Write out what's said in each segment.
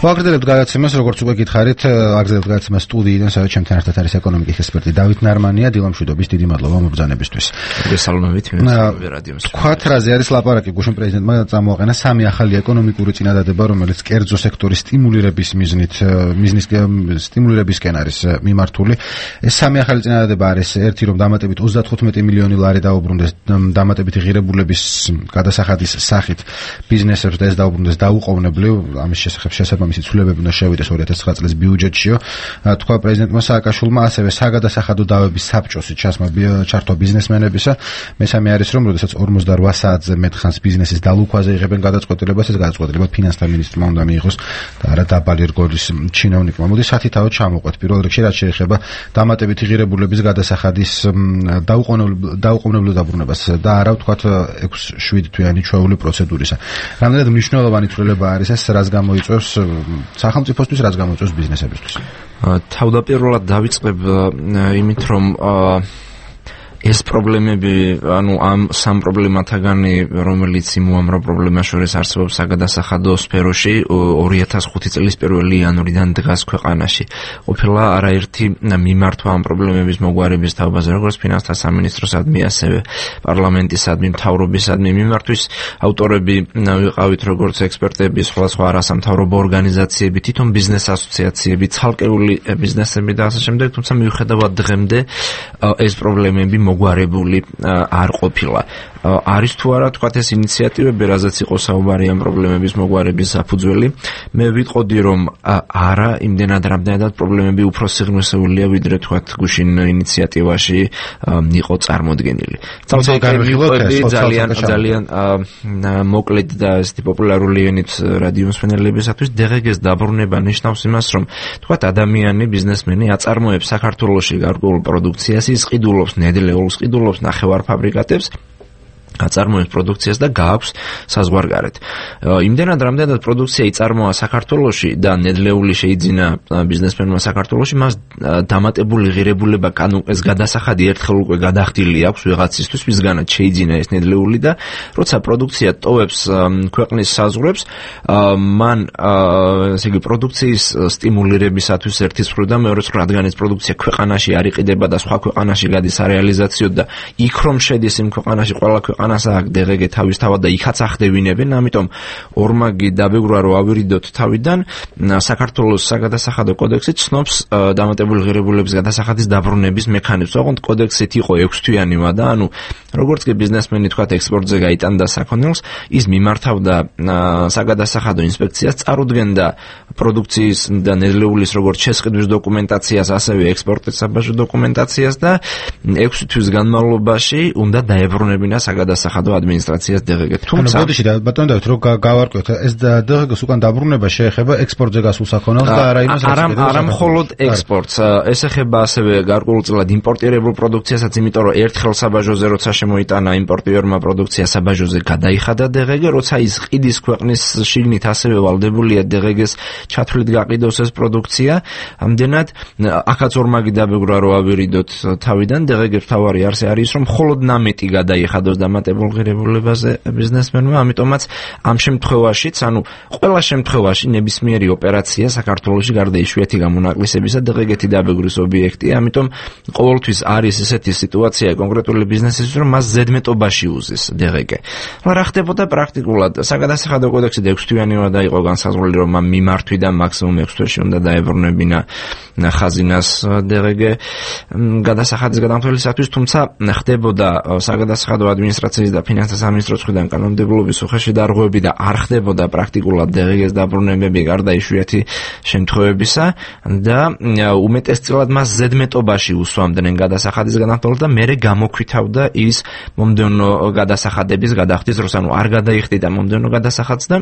ვაგრძელებთ გადაცემას, როგორც უკვე გითხარით, აგრძელებთ გადაცემას სტუდიიდან, სადაც ჩემთან ერთად არის ეკონომიკის ექსპერტი დავით ნარმანია. დილა მშვიდობის, დიდი მადლობა მობრძანებისთვის. გესალმებით, რადიო მსმენელს. ქვათრაზე არის ლაპარაკი, გუშინ პრეზიდენტმა წამოაყენა 3 ახალი ეკონომიკური წინადადება, რომელიც კერძო სექტორის სტიმულირების მიზნის სტიმულირებისკენ არის მიმართული. ეს 3 ახალი წინადადება არის ერთი, რომ დამატებით 35 მილიონი ლარი დაუბრუნდეს დამატებითი ღირებულების გადასახადის სახით ბიზნესებს და ეს დაუბრუნდეს დაუყოვნებლივ, ამის შესახებ შესაბამისი ცვლილებები უნდა შევიდეს 2009 წლის ბიუჯეტშიო. თქვა პრეზიდენტმა სააკაშვილმა, ასევე საგადასახადო დავების საბჭოსი ჩართვა ბიზნესმენებისა. მესამე არის, რომ როდესაც 48 საათზე მეტ ხანს ბიზნესის დალუქვაზე იღებენ გადაწყვეტილებას, ეს გადაწყვეტილება ფინანსთა მინისტრმა უნდა მიიღოს და არა დაბალი რგოლის ჩინოვნიკმა. მოდი სათითაოდ ჩამოვყვეთ. პირველ რიგში რაც შეეხება დამატებითი ღირებულების გადასახადის დაუყოვნებლივ დაბრუნებას და არა ვთქვათ 6-7 თვიანი ჩვეული პროცედურისა. რამდენად მნიშვნელოვანი ცვლილება არის ეს, რაც გამოიწვევს სახელმწიფოსთვის, რაც გამოიწვევს ბიზნესებისთვის? თავდაპირველად დავიწყებ იმით, რომ ეს პრობლემები, ამ სამ პრობლემათაგანი, რომელიც იმუამრავ პრობლემას შორის არსებობს საგადასახადო სფეროში, 2005 წლის 1 იანვრიდან დგას ქვეყანაში. ყოფილა არაერთი მიმართვა ამ პრობლემების მოგვარების თაობაზე, როგორც ფინანსთა სამინისტროსადმი, ასევე პარლამენტისადმი, მთავრობისადმი მიმართვის. ავტორები ვიყავით როგორც ექსპერტები, სხვადასხვა არასამთავრობო ორგანიზაციები, თვითონ ბიზნეს ასოციაციები, ცალკეული ბიზნესები და ასე შემდეგ, თუმცა მიუხედავად დღემდე ეს პრობლემები მოგვარებული არ ყოფილა. არის თუ არა თქვათ ეს ინიციატივები, რაზეც იყო საუბარი ამ პრობლემების მოგვარების საფუძველი. მე ვიტყოდი, რომ არა, იმდენად რამდენადაც პრობლემები უფრო სიღრმისეულია, ვიდრე თქვათ გუშინ ინიციატივაში იყო წარმოდგენილი. ძალიან მოკლედ და ესეთი პოპულარული ენით რადიო მსმენელებისათვის დღეგეს დაბრუნება ნიშნავს იმას, რომ თქვათ ადამიანი, ბიზნესმენი აწარმოებს საქართველოში გარკვეულ პროდუქციას, ის ყიდულობს ნედლეულს, ყიდულობს ნახევარფაბრიკატებს, აწარმოებს პროდუქციას და გააქვს საზღვარგარეთ. იმდენად რამდენად პროდუქცია იწარმოა საქართველოში და ნედლეული შეიძინა ბიზნესმენმა საქართველოში, მას დამატებული ღირებულება, ეს გადასახადი ერთხელ უკვე გადახდილი აქვს ვიღაცისთვის, ვისგანაც შეიძინა ეს ნედლეული და როცა პროდუქცია ტოვებს ქვეყნის საზღვრებს, მან ესე იგი პროდუქციის სტიმულირებისათვის ერთის მხრიდან მეორეს მხრიდან, რადგან ეს პროდუქცია ქვეყანაში არ იყიდება და სხვა ქვეყანაში გადის სარეალიზაციოდ და იქ რომ შედის იმ ქვეყანაში ყველა ქვეყანას აქ დღეგე თავისთავად და იქაც ახდევინებენ, ამიტომ ორმაგი დაბეგრვა რომ ავირიდოთ თავიდან, საქართველოს საგადასახადო კოდექსი ცნობს დამატებული ღირებულების გადასახადის დაბრუნების მექანიზმს. ოღონდ კოდექსით იყო 6 თვიანი ვადა, ანუ როგორც კი ბიზნესმენი თქვათ ექსპორტზე გაიტანდა საქონელს, ის მიმართავდა საგადასახადო ინსპექციას, წარუდგენდა პროდუქციის და ნედლეულის როგორც შესყიდვის დოკუმენტაციას, ასევე ექსპორტის საბაჟო დოკუმენტაციას და 6 თვის განმავლობაში უნდა დაებრუნებინა საგადასახადო ადმინისტრაციას დღეგეთ. თუმცა ბოდიში და ბატონო დავით, რომ გავარკვევთ, ეს დღეგეს უკან დაბრუნება შეეხება ექსპორტზე გასულ საქონელს და არა იმას, არა მხოლოდ ექსპორტს, ეს ეხება ასევე გარკვეულწილად იმპორტირებულ პროდუქციასაც, იმიტომ რომ ერთხელ საბაჟოზე როცა შემოიტანა იმპორტიორმა პროდუქცია საბაჟოზე გადაიხადა დღეგე, როცა ის ყიდის ქვეყნის შიგნით ასევე ვალდებულია დღეგეს ჩათვლით გაყიდოს ეს პროდუქცია. ამდენად აქაც ორმაგი დაბეგრვა რომ ავირიდოთ თავიდან, დღეგე თავარი არსი არის, რომ მხოლოდ ნამეტი გადაიხადოს დამატებულ ღირებულებაზე ბიზნესმენმა, ამიტომაც ამ შემთხვევაშიც, ანუ ყველა შემთხვევაში ნებისმიერი ოპერაცია საქართველოში გარდა იშვიათი გამონაკლისებისა დღეგეთი დაბეგრვის ობიექტია, ამიტომ ყოველთვის არის ესეთი სიტუაცია კონკრეტული ბიზნესისთვის, რომ მას ზედმეტობაში უზის დღეგე. რა ხდებოდა პრაქტიკულად? საგადასახადო კოდექსი 6 თვიანი ვადა იყო განსაზღვრული, რომ მიმართვიდან მაქსიმუმ 6 თვეში უნდა დაებრუნებინა ხაზინას დღეგე გადასახადის გადამთვლისათვის, თუმცა ხდებოდა საგადასახადო ადმინისტრაციის და ფინანსთა სამინისტროს მხრიდან კანონმდებლობის უხეში დარღვევები და არ ხდებოდა პრაქტიკულად დღეგეს დაბრუნებები გარდა იშვიათი შემთხვევებისა და უმეტესწილად მას ზედმეტობაში უსვამდნენ გადასახადის გადამთვლელს და მერე გამოქვითავდა ის მომდევნო გადასახადების გადახდის დროს, ანუ არ გადაიხდიდა მომდევნო გადასახადს და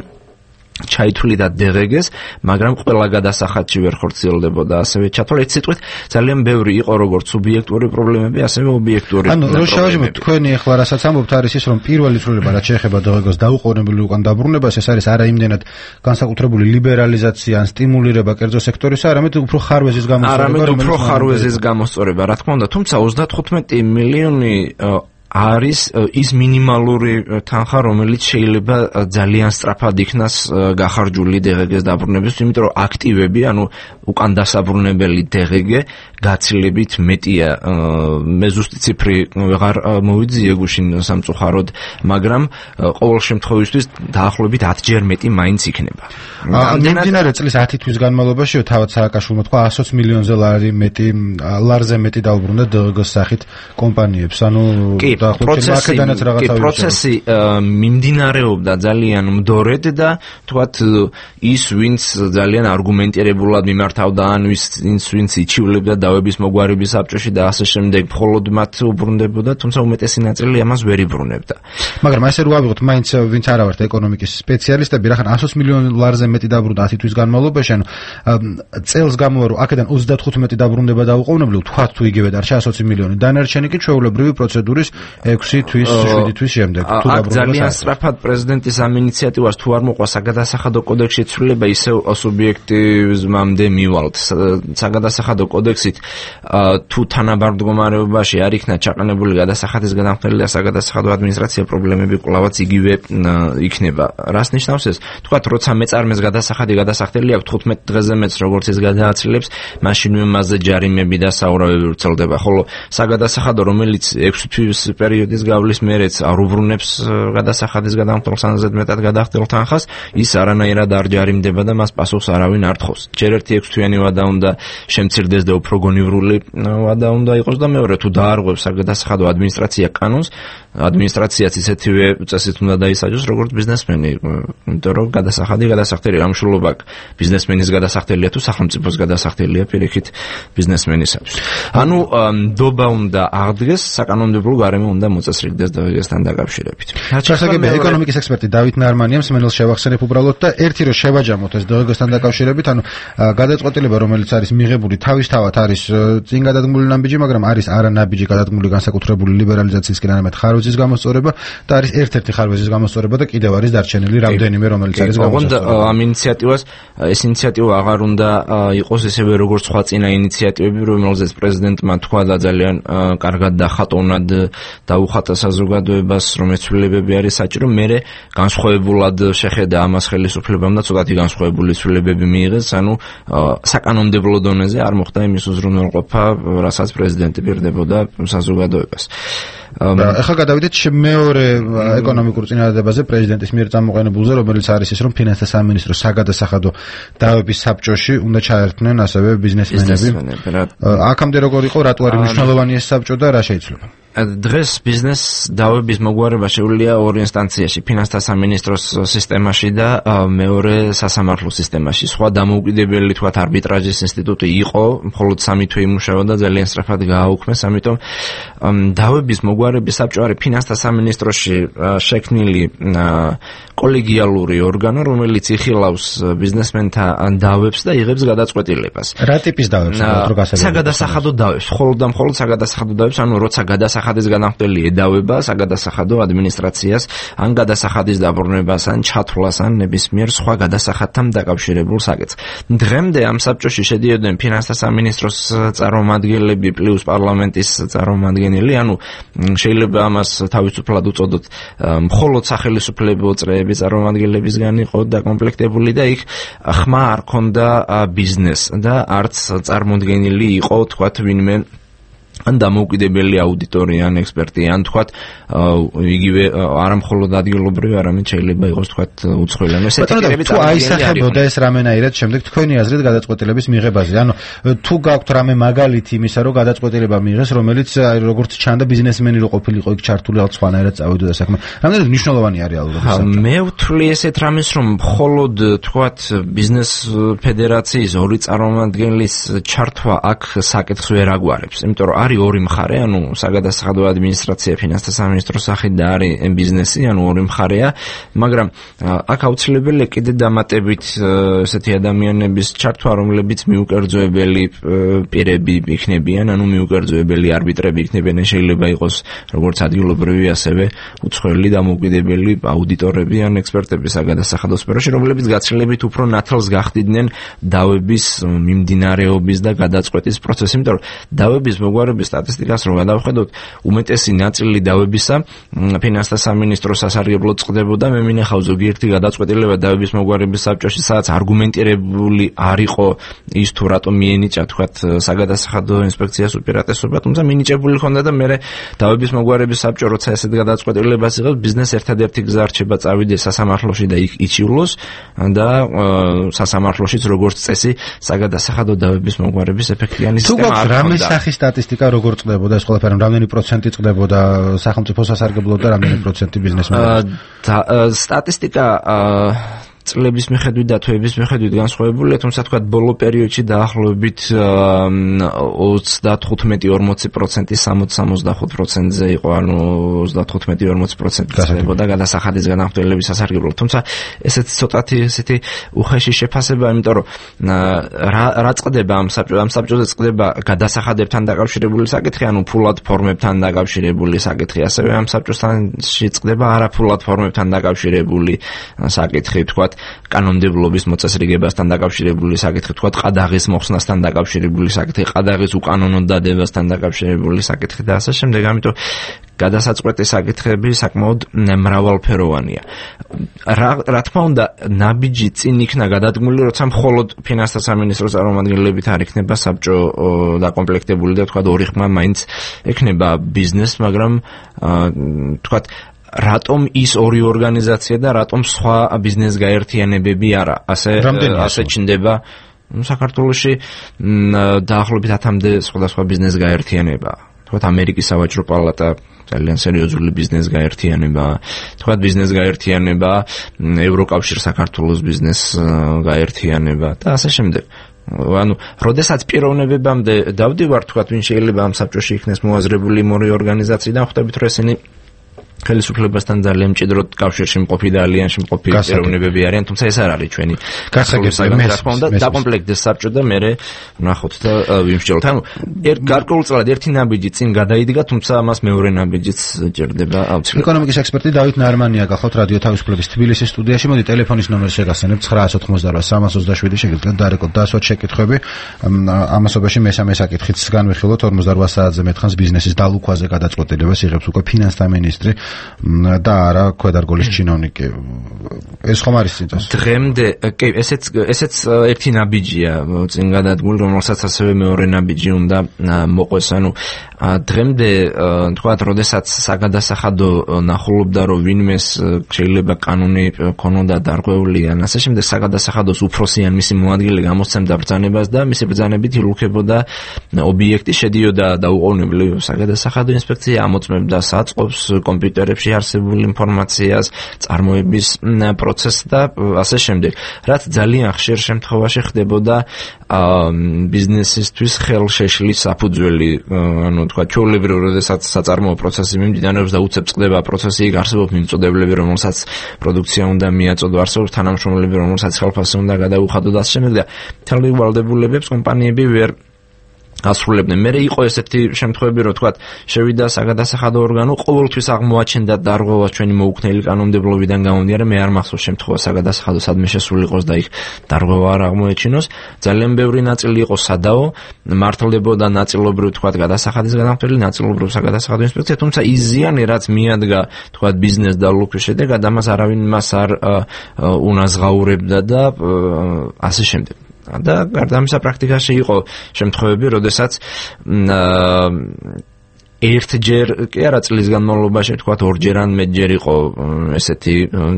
ჩაითვლიდა დღეგეს, მაგრამ ყველა გადასახადში ვერ ხორციელდებოდა ასევე ჩათვალე. ერთ სიტყვით ძალიან ბევრი იყო როგორც სუბიექტური პრობლემები, ასევე ობიექტური. ანუ რო შევაჯამოთ, თქვენი ახლა რასაც ამბობთ არის ის, რომ პირველი ცვლილება რაც შეეხება დღეგოს დაუყოვნებლივ უკან დაბრუნებას, ეს არის არა იმდენად განსაკუთრებული ლიბერალიზაცია ან სტიმულირება კერძო სექტორისა, არამედ უფრო ხარვეზის გამოსწორება, რა თქმა უნდა, თუმცა 35 მილიონი არის ის მინიმალური თანხა, რომელიც შეიძლება ძალიან სწრაფად იქნას გახარჯული DGG-ს დაბრუნების, იმიტომ რომ აქტივები, ანუ უკან დასაბრუნებელი DGG გაცილებით მეტია. მე ზუსტი ციფრი ვეღარ მოვიძიე გუშინ სამწუხაროდ, მაგრამ ყოველ შემთხვევისთვის დაახლოებით 10-ჯერ მეტი მაინც იქნება. მიმდინარე წლის 10 თვის განმავლობაში თავად სააკაშვილმა თქვა 120 მილიონზე ლარზე მეტი დაუბრუნდა DGG-ს სახით კომპანიებს. ანუ პროცესი მიმდინარეობდა ძალიან მდორედ და თქვათ ის ვინც ძალიან არგუმენტირებულად მიმართავდა ან ვინც იჩივლებდა დავების მოგვარების საბჭოში და ასე შემდეგ მხოლოდ მათ უბრუნდებოდა, თუმცა უმეტესი ნაწილი ამას ვერ იბრუნებდა. მაგრამ ესე რო ავიღოთ, მაინც ვინც არა ვართ ეკონომიკის სპეციალისტები, რახან 120 მილიონ ლარზე მეტი დაბრუნდა 10 თვის განმავლობაში, ანუ წელს გამოვა რომ აქედან 35 დაბრუნდება დაუყოვნებლივ, თქვათ თუ იგივე დარჩა 120 მილიონი, დანარჩენი კი ჩვეულებრივი პროცედურის 6 თვის, 7 თვის შემდეგ. თუ დაბრუნდება ძალიან სწრაფად პრეზიდენტის ამ ინიციატივას თუ არ მოყვა საგადასახადო კოდექსში ცვლილება, ისევ სუბიექტიზმამდე მივალთ. საგადასახადო კოდექსით თუ თანაბარ-მდგომარეობაში არ იქნა ჩაყენებული გადასახადის გადამხდელი და საგადასახადო ადმინისტრაცია პრობლემები კვლავაც იგივე იქნება. რას ნიშნავს ეს? თქვათ, როცა მეწარმეს გადასახადი გადასახდელი აქვს 15 დღეზე მეც როგორც ის გადააცილებს, მაშინვე მასზე ჯარიმები და საურავები ვრცელდება, ხოლო საგადასახადო, რომელიც 6 თვის პერიოდის გავლის მერეც არ უბრუნებს გადასახადის გადამხდელს ან ზედმეტად გადახდელ თანხას, ის არანაირად არ ჯარიმდება და მას პასუხს არავინ არ თხოვს. ჯერ ერთი 6 თვიანი ვადა უნდა შემცირდეს და უფრო გონივრული ვადა უნდა იყოს და მეორე თუ დაარღვევს საგადასახადო ადმინისტრაცია კანონს, ადმინისტრაციაც ისეთივე წესით უნდა დაისაჯოს როგორც ბიზნესმენი, იმიტომ რომ გადასახდელი რამშულობა ბიზნესმენის გადასახდელია თუ სახელმწიფოს გადასახდელია პირიქით ბიზნესმენისათვის. ანუ ნდობა უნდა აღდგეს, საკანონმდებლო გარემო უნდა მოწესრიგდეს DGG-სთან დაკავშირებით. შესაძლებელია ეკონომიკის ექსპერტი დავით ნარმანიამ სმენელს შევახსენებ უბრალოდ და ერთი რომ შევაჯამოთ ეს DGG-სთან დაკავშირებით, ანუ გადაწყვეტილება რომელიც არის მიღებული თავისთავად არის წინ გადადგმული ნაბიჯი, მაგრამ არის არანაბიჯი გადადგმული განსაკუთრებული ლიბერალიზაციისკენ არამედ ხარვეზის გამოსწორება და არის ერთ-ერთი ხარვეზის გამოსწორება და კიდევ არის დარჩენილი რამდენიმე რომელიც არის გამოსწორება. ამ ინიციატივას ეს ინიციატივა აღარ უნდა იყოს ისევე როგორც სხვა წინა ინიციატივები, რომელზეც პრეზიდენტმა თქვა და ძალიან კარგად და ხატოვნად დაუხატა საზოგადოებას, რომ ეცვლილებები არის საჭირო, მერე განსხვავებულად შეხედა ამას ხელისუფლებამ და ცოტათი განსხვავებული ცვლილებები მიიღეს, ანუ საკანონმდებლო დონეზე არ მოხდა იმის უზრუნველყოფა, რასაც პრეზიდენტი პირდებოდა საზოგადოებას. ახლა გადავიდეთ მეორე ეკონომიკურ წინადადებაზე პრეზიდენტის მიერ წამოყენებულზე, რომელიც არის ის, რომ ფინანსთა სამინისტროს საგადასახადო დავების საბჭოში უნდა ჩაერთნენ ასევე ბიზნესმენები. აქამდე როგორ იყო, რატო არის მნიშვნელოვანი ეს საბჭო და რა შეიძლება? დღეს ბიზნეს დავების მოგვარება შეუძლია ორ ინსტანციაში, ფინანსთა სამინისტროს სისტემაში და მეორე სასამართლო სისტემაში. სხვა დამოუკიდებელი თქვათ არბიტრაჟის ინსტიტუტი იყო, მხოლოდ 3 თვე იმუშაოდა, ძალიან სწრაფად გააუქმეს, ამიტომ დავების მოგვარების საბჭო არის ფინანსთა სამინისტროში შექმნილი კოლეგიალური ორგანო, რომელიც იხილავს ბიზნესმენთა დავებს და იღებს გადაწყვეტილებას. რა ტიპის დავებს? საგადასახადო დავებს, მხოლოდ და მხოლოდ საგადასახადო დავებს, ანუ როცა გადასახადის გადამხდელი ედავება საგადასახადო ადმინისტრაციას, ან გადასახადის დაბრუნებას, ან ჩათვლას, ან ნებისმიერ სხვა გადასახადთან დაკავშირებულ საკითხს. დღემდე ამ საბჭოში შედიოდნენ ფინანსთა სამინისტროს წარმომადგენლები პლუს პარლამენტის წარმომადგენელი, ანუ შეიძლება ამას თავისუფლად უწოდოთ, მხოლოდ სახელმწიფო წრეების წარმომადგენლებისგან იყო დაკომპლექტებული და იქ ხმა არ ქონდა ბიზნეს და არც წარმოდგენილი იყო თქვათ ვინმე ან დამოუკიდებელი აუდიტორი ან ექსპერტი ან თქვათ იგივე არა მხოლოდ ადგილობრივი, არამედ შეიძლება იყოს თქვათ უცხოელი. ანუ ესეთი პირები თუ აისახებოდა ეს რამენაირად შემდეგ თქვენი აზრით გადაწყვეტილების მიღებაზე. ანუ თუ გაქვთ რამე მაგალითი იმისა, რომ გადაწყვეტილება მიიღეს, რომელიც როგორც ჩანდა ბიზნესმენი რო ყოფილიყო იქ ჩართული, ალბათ სხვანაირად წავიდოდა საქმე. რამდენად მნიშვნელოვანი არის რეალურად? მე ვთვლი ესეთ რამეს, რომ მხოლოდ თქვათ ბიზნეს ფედერაციის ორი წარმომადგენლის ჩართვა აქ საკითხს ვერ აგვარებს, იმიტომ რომ არის ორი მხარე, ანუ საგადასახადო ადმინისტრაცია, ფინანსთა სამინისტროს სახით და არის ბიზნესი, ანუ ორი მხარეა, მაგრამ აქ აუცილებელია კიდე დამატებით ესეთი ადამიანების ჩართვა, რომლებიც მიუკერძოებელი პირები იქნებიან, ანუ მიუკერძოებელი არბიტრები იქნებიან, შეიძლება იყოს როგორც ადგილობრივი, ასევე უცხოელი დამოუკიდებელი აუდიტორები ან ექსპერტები საგადასახადო სფეროში, რომლებიც გაცილებით უფრო ნათელს გახდიდნენ დავების მიმდინარეობის და გადაწყვეტის პროცესს, იმიტომ რომ დავების მოგვარების განხილვის სტატისტიკას რომ გადავხედოთ, უმეტესი ნაწილი დავებისა ფინანსთა სამინისტროს სასარგებლოდ წყდებოდა. მე მინახავ ზოგიერთი გადაწყვეტილება დავების მოგვარების საბჭოში, სადაც არგუმენტირებული არ იყო ის თუ რატომ მიენიჭა თქვათ საგადასახადო ინსპექციას უპირატესობა, თუმცა მინიჭებული ჰქონდა და მე დავების მოგვარების საბჭო როცა ესეთ გადაწყვეტილებას იღებს, ბიზნეს ერთადერთი გზა რჩება წავიდეს სასამართლოში და იქ იჩივლოს და სასამართლოშიც როგორც წესი საგადასახადო დავების მოგვარების ეფექტიანი სისტემა არ ჰქონდა. რამე სახის სტატისტიკა როგორ წყდებოდა ეს ყველაფერი, რამდენი პროცენტი წყდებოდა სახელმწიფო სასარგებლოდ და რამდენი პროცენტი ბიზნესმენებს? სტატისტიკა წლების მიხედვით და თვეების მიხედვით განსხვავებულია, თუმცა თქვა ბოლო პერიოდში დაახლოებით 35-40%, 60-65%-ზე იყო, ანუ 35-40% ხდებოდა გადასახადის განახორციელების სასარგებლოდ. თუმცა ესეც ცოტათი ესეთი უხეში შეფასება, იმიტომ რომ რა წყდება ამ საბჭოზე წყდება გადასახადებთან დაკავშირებული საკითხი, ანუ ფულად ფორმებთან დაკავშირებული საკითხი, ასევე ამ საბჭოსთანში წყდება არაფულად ფორმებთან დაკავშირებული საკითხი, თქვა კანონმდებლობის მოწესრიგებასთან დაკავშირებული საკითხი, თქვა ყადაღის მოხსნასთან დაკავშირებული საკითხი, ყადაღის უკანონო დადებასთან დაკავშირებული საკითხი და ასე შემდეგ. ამიტომ გადასაწყვეტი საკითხები საკმაოდ მრავალფეროვანია. რა თქმა უნდა, ნაბიჯი წინ იქნა გადადგმული, როცა მხოლოდ ფინანსთა სამინისტროს წარმომადგენლებით არ იქნება საბჭო დაკომპლექტებული და თქვა ორი ხმა მაინც ექნება ბიზნესს, მაგრამ თქვა რატომ ის ორი ორგანიზაცია და რატომ სხვა ბიზნეს გაერთიანებები არა? ასე ჩნდება საქართველოში დაახლოებით 10-მდე სხვადასხვა ბიზნეს გაერთიანება. თქვათ ამერიკის სავაჭრო პალატა ძალიან სერიოზული ბიზნეს გაერთიანება, თქვათ ბიზნეს გაერთიანება, ევროკავშირ საქართველოს ბიზნეს გაერთიანება და ასე შემდეგ. ანუ, როდესაც პიროვნებებამდე დავდივარ, თქვათ, ვინ შეიძლება ამ საბჭოში იქნეს მოაზრებული ორი ორგანიზაციიდან, ხვდებით, რომ ესენი ხელისუფლებასთან ძალიან მჭიდროდ კავშირში მყოფი და ალიანსში მყოფი პიროვნებები არიან, თუმცა ეს არ არის ჩვენი გასაგებია. რა თქმა უნდა, დაკომპლექტდეს საბჭო და მე ვნახოთ და ვიმსჯელოთ. ანუ გარკვეულწილად ერთი ნაბიჯი წინ გადაიდგა, თუმცა ამას მეორე ნაბიჯიც ჭირდება აუცილებლად. ეკონომიკის ექსპერტი დავით ნარმანია გახლავთ რადიო თავისუფლების თბილისის სტუდიაში. მოდი ტელეფონის ნომერს შეგახსენებთ 988-327 შეგიძლიათ დარეკოთ დასვათ შეკითხვები. ამასობაში მესამე საკითხიც განვიხილოთ 48 საათზე მეტხანს ბიზნესის დალუქვაზე გადაწყვეტილებას იღებს უკვე ფინანსთა მინისტრი და არა ქვედარგოლის ჩინოვნიკი. ეს ხომ არის წინწას? დღემდე კი, ესეც ერთი ნაბიჯია წინ გადადგმული, რომელსაც ასევე მეორე ნაბიჯი უნდა მოყვეს. ანუ დღემდე თქვათ, როდესაც საგადასახადო ნახულობდა, რომ ვინმეს შეიძლება კანონი ქონოდა დარღვეული ან ასე შემდეგ, საგადასახადოს უფროსი ან მისი მოადგილე გამოსცემდა ბრძანებას და მისი ბრძანებით ილუქებოდა ობიექტი, შედიოდა დაუყოვნებლივ საგადასახადო ინსპექცია, ამოწმებდა საწყობს, კომპიუტერებში არსებულ ინფორმაციას, წარმოების პროცესს და ასე შემდეგ. რაც ძალიან ხშირ შემთხვევაში ხდებოდა ბიზნესისთვის ხელშეშლის საფუძველი, ანუ თქვა ჩვეულებრივ, როდესაც საწარმოო პროცესი მიმდინარეობს და უცებ წყდება პროცესი, იქ არსებობს მიმწოდებლები, რომელსაც პროდუქცია უნდა მიაწოდო, არსებობს თანამშრომლები, რომელსაც ხელფასი უნდა გადაუხადო და ასე შემდეგ. მთელი ვალდებულებებს კომპანიები ვერ ასრულებდნენ. მე იყო ესეთი შემთხვევები, რომ თქვა შევიდა საგადასახადო ორგანო, ყოველთვის აღმოაჩენდა დარღვევას ჩვენი მოუქნელი კანონმდებლობიდან გამომდინარე, მე არ მახსოვს შემთხვევა საგადასახადო სადმე შესული იყოს და იქ დარღვევა არ აღმოეჩინოს. ძალიან ბევრი ნაწილი იყო სადაო, მართლდებოდა ნაწილობრივ თქვა გადასახადის განახორციელებელი, ნაწილობრივ საგადასახადო ინსპექცია, თუმცა ის ზიანი, რაც მიადგა თქვა ბიზნეს დალუქვის შედეგად, ამას არავინ მას არ უნაზღაურებდა და ასე შემდეგ. და გარდა ამისა პრაქტიკაში იყო შემთხვევები, როდესაც ერთჯერ კი არა წლის განმავლობაში, თქვათ ორჯერ ან მეტჯერ იყო ესეთი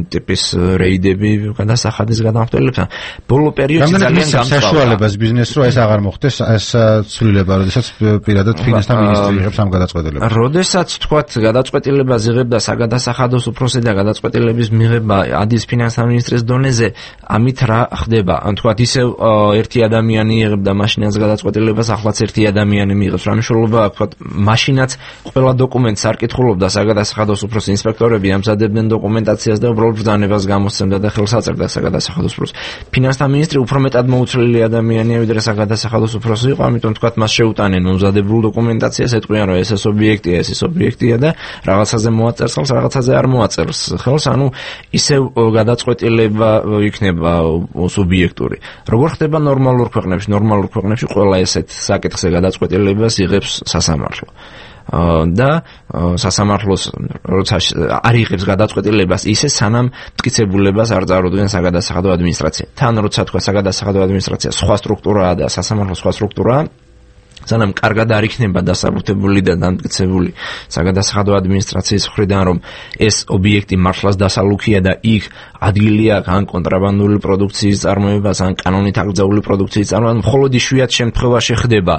ტიპის რეიდები გადასახადის განახორციელებასთან. ბოლო პერიოდში ძალიან გამწვავა საშუალებას ბიზნესს რო ეს აღარ მოხდეს, ეს ცვლილება, როდესაც პირადად ფინანსთა მინისტრი იღებს ამ გადაწყვეტილებას. როდესაც თქვათ გადაწყვეტილებას იღებდა საგადასახადოს უფროსი და გადაწყვეტილების მიღება ადის ფინანსთა მინისტრის დონეზე, ამით რა ხდება? ან თქვათ ისევ ერთი ადამიანი იღებდა მაშინაც გადაწყვეტილებას, ახლაც ერთი ადამიანი მიიღებს. რა მნიშვნელობა აქვს, თქვათ, მაშინაც ყველა დოკუმენტს არ კითხულობდა საგადასახადოს უფროს ინსპექტორები, ამზადებდნენ დოკუმენტაციას და უბრალოდ ბრძანებას გამოსცემდა და ხელს აწევდა საგადასახადოს უფროს. ფინანსთა მინისტრი უფრო მეტად მოუცვლელი ადამიანია, ვიდრე საგადასახადოს უფროსი იყო, ამიტომ თქვათ მას შეუტანენ მომზადებულ დოკუმენტაციას, ეთქვიან რომ ეს ობიექტია, ეს ობიექტია და რაღაცაზე მოაწერს ხელს, რაღაცაზე არ მოაწერს ხელს, ანუ ისევ გადაწყვეტილება იქნება სუბიექტური. როგორ ხდება ნორმალურ ქვეყნებში? ნორმალურ ქვეყნებში ყველა ესეთ საკითხზე გადაწყვეტილებას იღებს სასამართლო. და სასამართლოს როცა არ იღებს გადაწყვეტილებას ისე სანამ მტკიცებულებას არ წარუდგენ საგადასახადო ადმინისტრაცია. თან როცა თქვა საგადასახადო ადმინისტრაცია სხვა სტრუქტურაა და სასამართლო სხვა სტრუქტურაა, სანამ კარგად არ იქნება დასაბუთებული და დამტკიცებული საგადასახადო ადმინისტრაციის მხრიდან რომ ეს ობიექტი მართლაც დასალუქია და იქ ადგილი აქვს ან კონტრაბანდული პროდუქციის წარმოებას, ან კანონით აკრძალული პროდუქციის წარმოება, მხოლოდ იშვიათ შემთხვევაში ხდება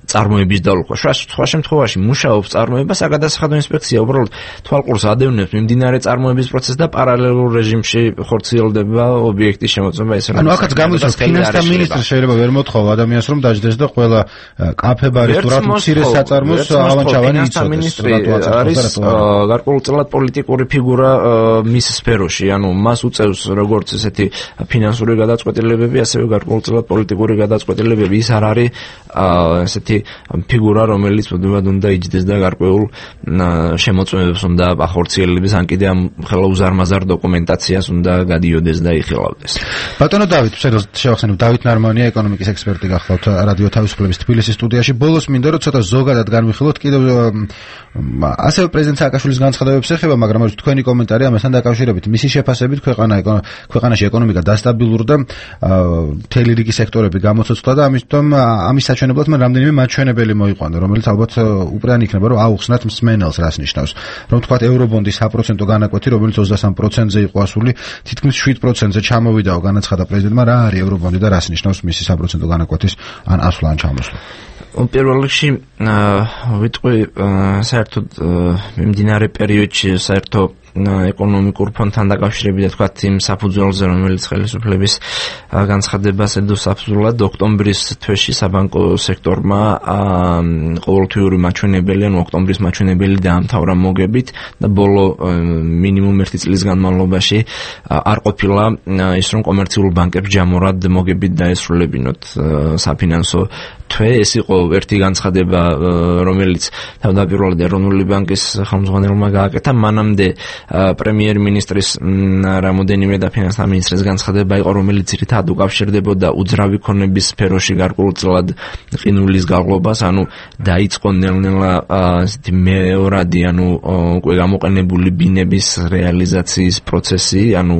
წარმოების დალუქვა. სხვა შემთხვევაში მუშაობს წარმოება საგადასახადო ინსპექცია, უბრალოდ თვალყურს ადევნებს მიმდინარე წარმოების პროცესს და პარალელურ რეჟიმში ხორციელდება ობიექტის შემოწმება. ეს ანუ აქაც გამოდის ფინანსთა მინისტრი შეიძლება ვერ მოთხოვა ადამიანს რომ დაждდეს და ყველა კაფე-ბარის თუ რა მცირე საწარმოს ავანჩავანი იცოდეს. მინისტრი არის გარკვეულწილად პოლიტიკური ფიგურა მის სფეროში, ანუ მას უწევს როგორც ესეთი ფინანსური გადაწყვეტილებები, ასევე გარკვეულწილად პოლიტიკური გადაწყვეტილებები. ის არ არის ესეთი ფიგურა, რომელიც უდავად უნდა იჯდეს და გარკვეულ შემოწმებებს უნდა ახორციელებს, ან კიდე ამ ხელაუზარმაზარ დოკუმენტაციას უნდა გადიოდეს და იხილავდეს. ბატონო დავით, შევახსენებ, დავით ნარმანია, ეკონომიკის ექსპერტი გახლავთ რადიო თავისუფლების თბილისის სტუდიაში. ბოლოს მინდა რომ ცოტა ზოგადად განვიხილოთ კიდევ ასევე პრეზიდენტ სააკაშვილის განცხადებებს ეხება, მაგრამ თქვენი კომენტარი ამასთან დაკავშირებით, მისი შეფასებით ქვეყანაში ეკონომიკა დასტაბილურდა, მთელი რიგი სექტორები გამოცოცხლა და ამის საჩვენებლად მან რამდენიმე მაჩვენებელი მოიყვანა, რომელიც ალბათ უპრეანი იქნება, რომ აუხსნათ მსმენელს, რას ნიშნავს. რომ თქვათ ევრობონდის საპროცენტო განაკვეთი, რომელიც 23%-ზე იყო ასული, თითქმის 7%-ზე ჩამოვიდაო, განაცხადა პრეზიდენტმა, რა არის ევრობონდი და რას ნიშნავს მისი საპროცენტო განაკვეთის ან ასვლა ან ჩამოსვლა. პირველ რიგში ვიტყვი საერთოდ მიმდინარე პერიოდში საერთო ეკონომიკურ ფონთან დაკავშირებით და თქვათ იმ საფუძველზე, რომელიც ხელისუფლების განცხადებას ედოს საფუძვლად, ოქტომბრის თვეში საბანკო სექტორმა ყოველთვიური მაჩვენებელი, ანუ ოქტომბრის მაჩვენებელი დაამთავრა მოგებით და ბოლო მინიმუმ 1 წლის განმავლობაში არ ყოფილა ის, რომ კომერციულ ბანკებს ჯამურად მოგებით დაესრულებინოთ საფინანსო თვე. ეს იყო ერთი განცხადება, რომელიც თავდაპირველად ეროვნული ბანკის ხელმძღვანელმა გააკეთა. მანამდე პრემიერ-მინისტრის რამოდენიმე და ფინანსთა მინისტრის განცხადება იყო, რომელიც ძირითადად უკავშირდებოდა უძრავი ქონების სფეროში გარკვეულწილად ყინულის გაღლობას, ანუ დაიწყო ნელ-ნელა ესეთი მეორადი, ანუ უკვე გამოყენებული ბინების რეალიზაციის პროცესი, ანუ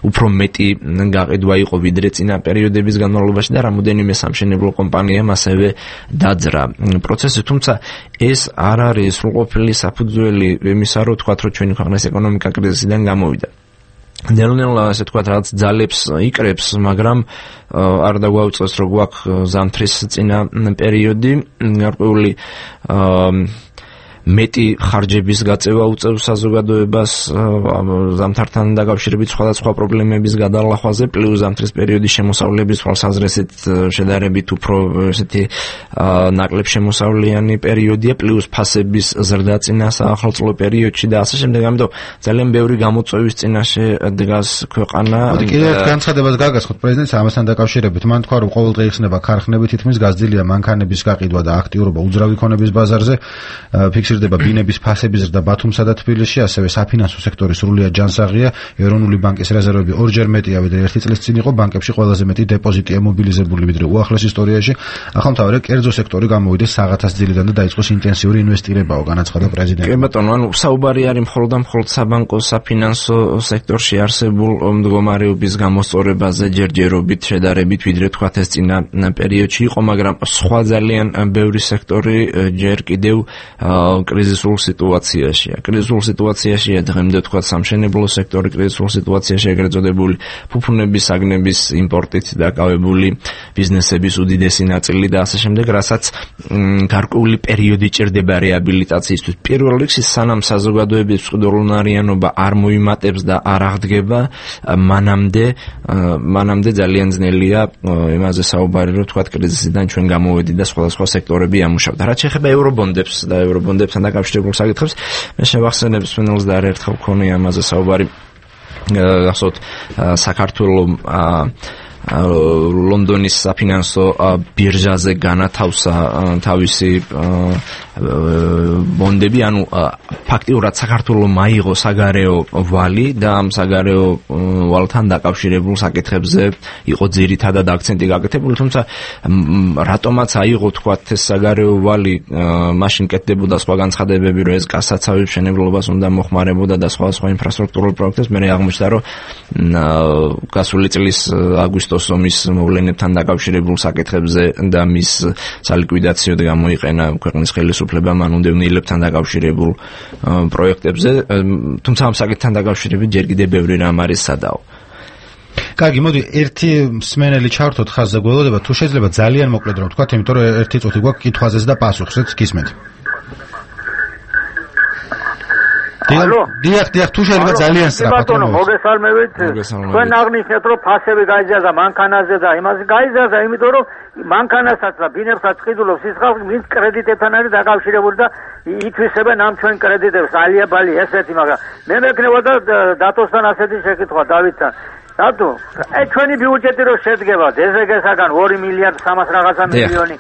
უფრო მეტი გაყიდვა იყო ვიდრე წინა პერიოდების განმავლობაში და რამოდენიმე სამშენებლო კომპანიამ ასევე დაძრა პროცესი, თუმცა ეს არ არის სრულყოფილი საფუძველი იმისა, რომ თქვათ, რომ ჩვენი ქვეყნის ეკონომიკა კრიზისიდან გამოვიდა. ნელ-ნელა ასე თქვათ, რაც ძალებს იკრებს, მაგრამ არ დაგვაუწყეს, რომ გვაქვს ზამთრის წინა პერიოდი, გარკვეული მეტი ხარჯების გაწევა უწევს საზოგადოებას ზამთართან დაკავშირებით სხვადასხვა პრობლემების გადალახვაზე, პლუს ზამთრის პერიოდის შემოსავლების თვალსაზრისით შედარებით უფრო ესეთი ნაკლებ შემოსავლიანი პერიოდია, პლუს ფასების ზრდა წინა საახალწლო პერიოდში და ასე შემდეგ. ამიტომ ძალიან ბევრი გამოწვევის წინაშე დგას ქვეყანა. კიდევ ერთ განცხადებას გაგასხოთ პრეზიდენტს ამასთან დაკავშირებით. მან თქვა, რომ ყოველდღე იხსნება ქარხნები, თითქმის გაზრდილია მანქანების გაყიდვა და აქტიურობა უძრავი ქონების ბაზარზე. ფიქსირდება ბინების ფასების ზრდა ბათუმსა და თბილისში, ასევე საფინანსო სექტორი სრულიად ჯანსაღია. ეროვნული ბანკის რეზერვები ორჯერ მეტია, ვიდრე 1 წლის წინ იყო. ბანკებში ყველაზე მეტი დეპოზიტია მობილიზებული, ვიდრე უახლეს ისტორიაში. ახალმთავარი კერძო სექტორი გამოვიდეს საღათას ძილიდან და დაიწყოს ინტენსიური ინვესტირებაო, განაცხადა პრეზიდენტი. კი ბატონო, ანუ საუბარი არის მხოლოდ საბანკო საფინანსო სექტორში არსებულ მდგომარეობის გამოსწორებაზე ჯერჯერობით შედარებით, ვიდრე თქვათ ეს წინა პერიოდში იყო, მაგრამ სხვა ძალიან ბევრი სექტორი ჯერ კიდევ კრიზისულ სიტუაციაშია. კრიზისულ სიტუაციაშია დღემდე თქვა სამშენებლო სექტორი, კრიზისულ სიტუაციაში ეგრეთ წოდებული ფუფუნების, საგნების იმპორტით დაკავებული ბიზნესების უდიდესი ნაწილი და ასე შემდეგ, რასაც გარკვეული პერიოდი ჭირდება რეაბილიტაციისთვის. პირველ რიგში სანამ საზოგადოების მწყდრუნარიანობა არ მოიმატებს და არ აღდგება, მანამდე ძალიან ძნელია იმაზე საუბარი, რომ თქვა კრიზისიდან ჩვენ გამოვედი და სხვადასხვა სექტორები ამუშავდა. რაც შეეხება ევრობონდებს და ევრობონდებთან დაკავშირებულ საკითხებს, მე შევახსენებ სვენელს და არაერთხელ მქონია ამაზე საუბარი. გახსოვთ საქართველოს ლონდონის საფინანსო ბირჟაზე განათავსა თავისი ბონდები, ანუ ფაქტიურად საქართველოს მაიღო საგარეო ვალი და ამ საგარეო ვალთან დაკავშირებულ საკითხებზე იყო ძირითადად აქცენტი გაკეთებული, თუმცა რატომაც აიღო თქვათ ეს საგარეო ვალი, მაშინ კეთდებოდა სხვა განცხადებები, რომ ეს კასაცავი მშენებლობას უნდა მოხმარებოდა და სხვა ინფრასტრუქტურულ პროექტებს. მე აღმოჩნდა, რომ გასული წლის აგვისტოს ომის მოვლენებთან დაკავშირებულ საკითხებზე და მის სალიკვიდაციოდ გამოიყენა ქვეყნის ხელისუფლებამ უდევნილებთან დაკავშირებულ პროექტებზე, თუმცა ამ საკითხთან დაკავშირებით ჯერ კიდევ ბევრი რამ არის სადაო. კარგი, მოდი ერთი მსმენელი ჩავთოთ ხაზზე, გველოდება თუ შეიძლება ძალიან მოკლედ რომ ვთქვათ, იმიტომ რომ ერთი წუთი გვაქვს კითხვაზე და პასუხზეც გისმენთ. დიახ, თუ შეიძლება ძალიან სწრაფად. ბატონო, მოგესალმებით. თქვენ აღნიშნეთ, რომ ფასები გაიზარდა მანქანაზე და იმაზე გაიზარდა, იმიტომ რომ მანქანასაც და ბინებსაც ყიდულობს ის ხალხი, ვინც კრედიტებთან არის დაკავშირებული და ითვისებენ ამ ჩვენ კრედიტებს, ალიაბალი ესეთი, მაგრამ მე მექნება და დათოსთან ასეთი შეკითხვა დავითთან. რატო? ჩვენი ბიუჯეტი რო შედგება დეზეგესაგან 2 მილიარდ 300 რაღაცა მილიონი,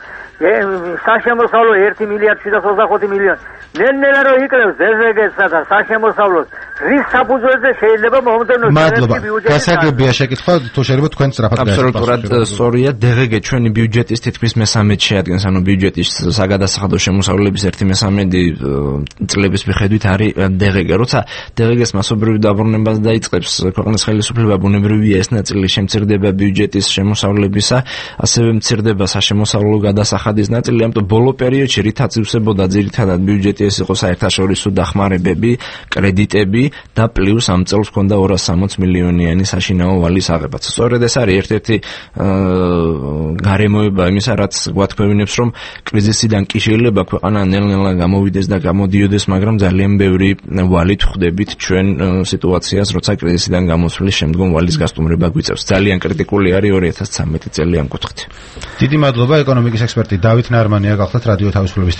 საშემოსავლო 1 მილიარდ 725 მილიონი. ნელ-ნელა რო იკრევს დეზეგესსა და საშემოსავლოს, რის საფუძველზე შეიძლება მომდენო ბიუჯეტი? გასაგებია შეკითხვა, თუ შეიძლება თქვენ სწრაფად გაიგოთ. აბსოლუტურად სწორია, DGG ჩვენი ბიუჯეტის თითქმის მესამედს შეადგენს, ანუ ბიუჯეტის საგადასახადო შემოსავლების 1/3 წლების მიხედვით არის DGG. როცა DGG-ს მასობრივი დაბრუნებას დაიწყებს ქვეყნის ხელისუფლება, ბუნებრივია ეს ნაწილი შემცირდება ბიუჯეტის შემოსავლებისა, ასევე მცირდება საშემოსავლო გადასახადის ნაწილი, ამიტომ ბოლო პერიოდში რითაც ივსებოდა ძირითადად ბიუჯეტი ეს იყო საერთაშორისო დახმარებები, კრედიტები და პლუს ამ წელს ჰქონდა 260 მილიონიანი საშინაო ვალის აღებაც. სწორედ ეს არის ერთ-ერთი გარემოება იმისა, რაც გვათქვევინებს, რომ კრიზისიდან კი შეიძლება ქვეყანა ნელ-ნელა გამოვიდეს და გამოდიოდეს, მაგრამ ძალიან ბევრი ვალით ხვდებით ჩვენ სიტუაციას, როცა კრიზისიდან გამოსვლის შემდგომ ვალის გასტუმრება გვიწევს. ძალიან კრიტიკული არის 2013 წელი ამ კუთხით. დიდი მადლობა ეკონომიკის ექსპერტი დავით ნარმანია გახლდათ რადიო თავისუფლების